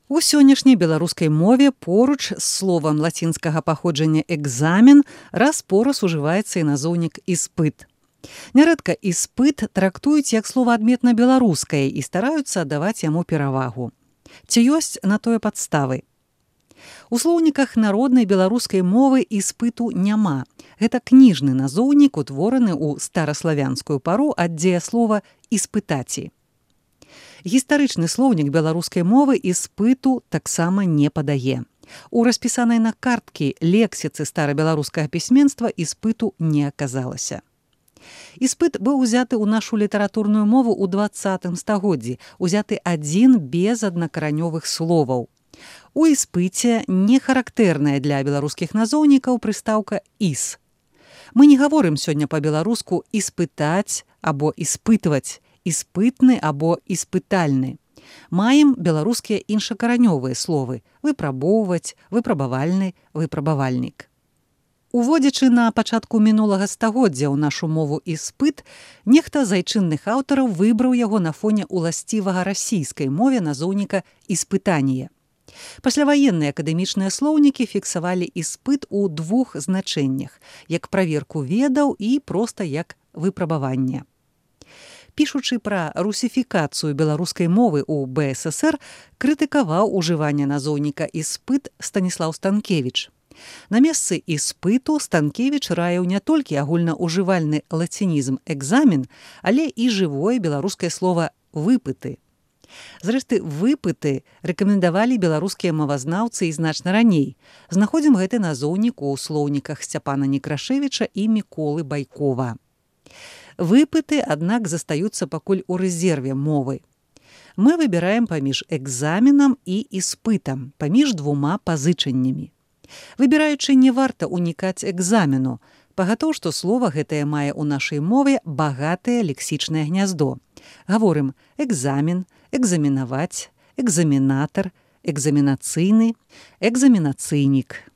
У сённяшняй беларускай мове поруч з словам лацінскага паходжання экзамен раз-пораз ужываецца і назоўнік іспыт. Нярэдка іспыт трактуюць як слова адметна беларускае і стараюцца аддаваць яму перавагу. Ці ёсць на тое падставы? У слоўніках народнай беларускай мовы іспыту няма. Гэта кніжны назоўнік, утвораны ў стараславянскую пару ад дзеяслова «іспытаці». Гістарычны слоўнік беларускай мовы іспыту таксама не падае. У распісанай на карткі лексіцы старабеларускага пісьменства іспыту не аказалася. Іспыт быў узяты ў нашу літаратурную мову ў 20 стагоддзі, узяты адзін без аднакаранёвых словаў. У іспыце не характэрная для беларускіх назоўнікаў прыстаўка «іс». Мы не гаворым сёння па-беларуску «іспытаць» або «іспытваць», «іспытны» або «іспытальны». Маем беларускія іншакаранёвыя словы «выпрабоўваць», «выпрабавальны», «выпрабавальнік». Уводзячы на пачатку мінулага стагоддзя ў нашу мову іспыт, нехта з айчынных аўтараў выбраў яго на фоне уласцівага расійскай мове назоўніка «іспытанне». Пасляваенныя акадэмічныя слоўнікі фіксавалі іспыт у двух значэннях, як праверку ведаў і проста як выпрабаванне. Пішучы пра русіфікацыю беларускай мовы ў БССР, крытыкаваў ужыванне назоўніка «іспыт» Станіслаў Станкевіч. На месцы іспыту Станкевіч раіў не толькі агульнаўжывальны лацінізм «экзамен», але і жывое беларускае слова «выпыты». Зрэшты, выпыты рэкамендавалі беларускія мовазнаўцы і значна раней. Знаходзім гэты назоўнік у слоўніках Сцяпана Некрашевіча і Міколы Байкова. Выпыты, аднак, застаюцца пакуль у рэзерве мовы. Мы выбіраем паміж экзаменам і іспытам, паміж двума пазычаннямі. Выбіраючы, не варта унікаць экзамену. Пагатоў, што слова гэтае мае ў нашай мове багатае лексічнае гняздо. Гаворым экзамен, экзаменаваць, экзаменатар, экзаменацыйны, экзаменацыйнік.